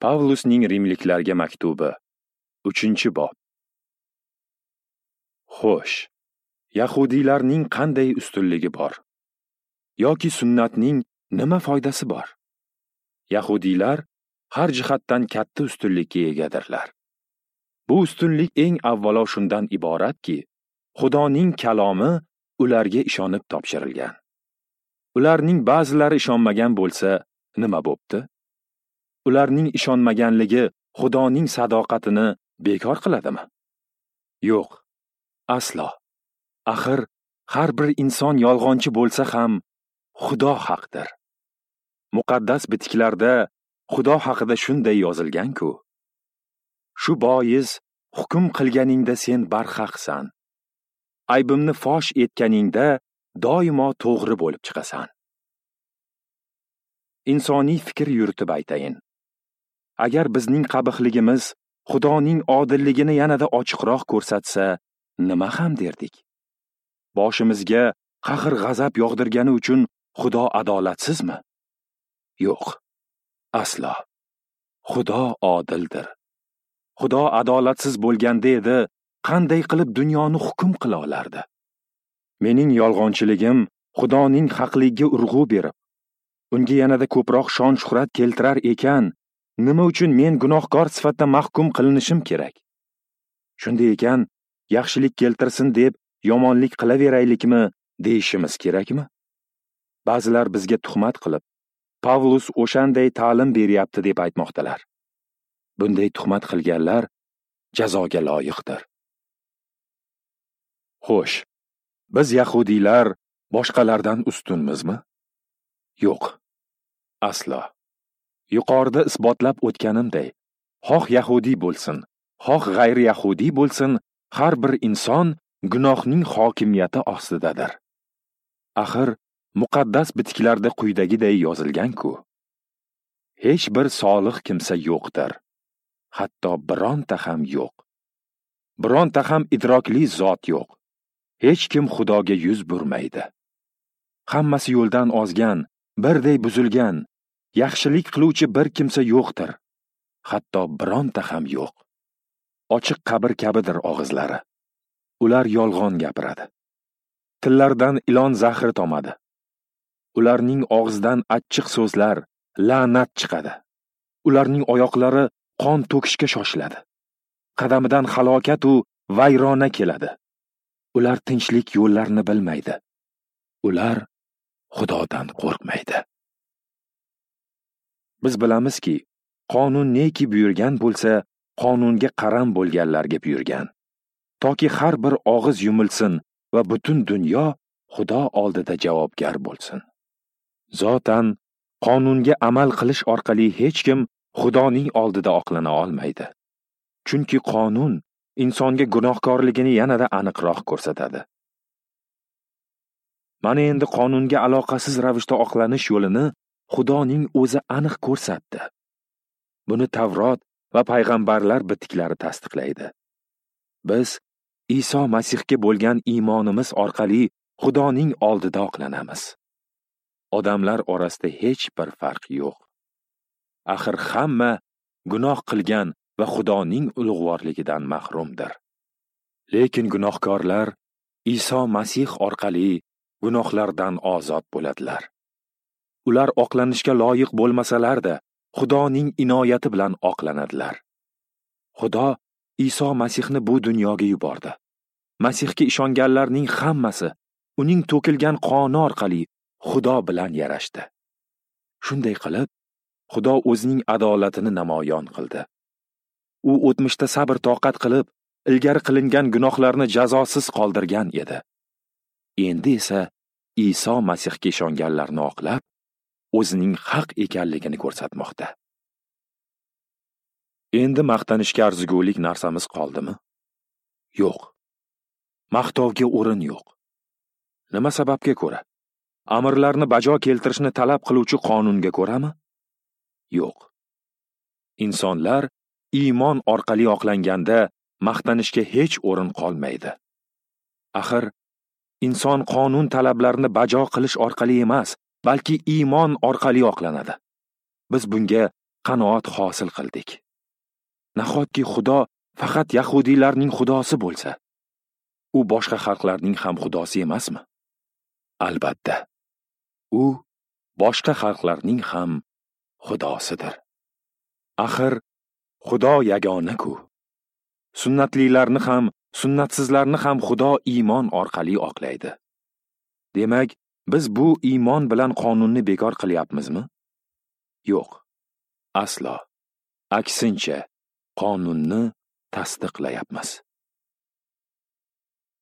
Pavlusning Rimliklarga maktubi, 3-bob. Xo'sh, yahudiylarning qanday ustunligi bor? Yoki sunnatning nima foydasi bor? Yahudiylar har jihatdan katta ustunlikka egadirlar. Bu ustunlik eng avvalo shundan iboratki, Xudoning kalomi ularga ishonib topshirilgan. Ularning ba'zilari ishonmagan bo'lsa, nima bo'pti? Ularning ishonmaganligi Xudoning sadoqatini bekor qiladimi? Yo'q, aslo. Axir har bir inson yolg'onchi bo'lsa ham Xudo haqdir. Muqaddas bitiklarda Xudo haqida shunday yozilgan-ku. Shu bois hukm qilganingda sen barhaqsan. Aybimni fosh etganingda doimo to'g'ri bo'lib chiqasan. Insoniy fikr yuritib aytayin. Agar bizning qabihligimiz Xudoning odilligini yanada ochiqroq ko'rsatsa, nima ham derdik? Boshimizga qahr-g'azab yog'dirgani uchun Xudo adolatsizmi? Yo'q, aslo. Xudo odildir. Xudo adolatsiz bo'lganda edi, qanday qilib dunyoni hukm qila olardi? Mening yolg'onchiligim Xudoning haqligiga urg'u berib, unga yanada ko'proq shon-shuhrat keltirar ekan, nima uchun men gunohkor sifatida mahkum qilinishim kerak? Shunday ekan, yaxshilik keltirsin deb yomonlik qilaveraylikmi deyishimiz kerakmi? Ba'zilar bizga tuhmat qilib, Pavlus o'shanday ta'lim beryapti deb aytmoqdalar. Bunday tuhmat qilganlar jazoga loyiqdir. Xo'sh, biz yahudiylar boshqalardan ustunmizmi? Yo'q, aslo. Yuqorida isbotlab o'tganimday, xoh yahudiy bo'lsin, xoh g'ayri yahudiy bo'lsin, har bir inson gunohning hokimiyati ostidadir. Axir muqaddas bitiklarda quyidagiday yozilgan-ku. Hech bir solih kimsa yo'qdir, hatto bironta ham yo'q. Bironta ham idrokli zot yo'q. Hech kim Xudoga yuz burmaydi. Hammasi yo'ldan ozgan, birday buzilgan, yaxshilik qiluvchi bir kimsa yo'qdir, hatto bironta ham yo'q. Ochiq qabr kabidir og'izlari. Ular yolg'on gapiradi. Tillaridan ilon zahri tomadi. Ularning og'zidan achchiq so'zlar, la'nat chiqadi. Ularning oyoqlari qon to'kishga shoshiladi. Qadamidan halokat u vayrona keladi. Ular tinchlik yo'llarini bilmaydi. Ular Xudodan qo'rqmaydi. Biz bilamizki, qonun neki buyurgan bo'lsa, qonunga qaram bo'lganlarga buyurgan. Toki har bir og'iz yumilsin va butun dunyo Xudo oldida javobgar bo'lsin. Zotan qonunga amal qilish orqali hech kim Xudoning oldida oqlana olmaydi. Chunki qonun insonga gunohkorligini yanada aniqroq ko'rsatadi. Mana endi qonunga aloqasiz ravishda oqlanish yo'lini Xudoning o'zi aniq ko'rsatdi. Buni Tavrot va payg'ambarlar bitiklari tasdiqlaydi. Biz Iso Masihga bo'lgan iymonimiz orqali Xudoning oldida oqlanamiz. Odamlar orasida hech bir farq yo'q. Axir hamma gunoh qilgan va Xudoning ulug'vorligidan mahrumdir. Lekin gunohkorlar Iso Masih orqali gunohlardan ozod bo'ladilar. Ular oqlanishga loyiq bo'lmasalar-da, Xudoning inoyati bilan oqlanadilar. Xudo Iso Masihni bu dunyoga yubordi. Masihga ishonganlarning hammasi uning to'kilgan qoni orqali Xudo bilan yarashdi. Shunday qilib, Xudo o'zining adolatini namoyon qildi. U o'tmishda sabr toqat qilib, ilgari qilingan gunohlarni jazosiz qoldirgan edi. Endi esa Iso Masihga ishonganlarni oqlab, o'zining haq ekanligini ko'rsatmoqda. Endi maqtanishga arzigulik narsamiz qoldimi? Yo'q. Maqtovga o'rin yo'q. Nima sababga ko'ra? Amirlarni bajo keltirishni talab qiluvchi qonunga ko'rami? Yo'q. Insonlar iymon orqali oqlanganda maqtanishga hech o'rin qolmaydi. Axir inson qonun talablarini bajo qilish orqali emas, balki iymon orqali oqlanadi. Biz bunga qanoat hosil qildik. Nahotki Xudo faqat yahudiylarning xudosi bo'lsa, u boshqa xalqlarning ham xudosi emasmi? Albatta, u boshqa xalqlarning ham xudosidir. Axir Xudo yagona-ku. Sunnatlilarni ham, sunnatsizlarni ham Xudo iymon orqali oqlaydi. Demak, biz bu iymon bilan qonunni bekor qilyapmizmi? Yo'q, aslo. Aksincha, qonunni tasdiqlayapmiz.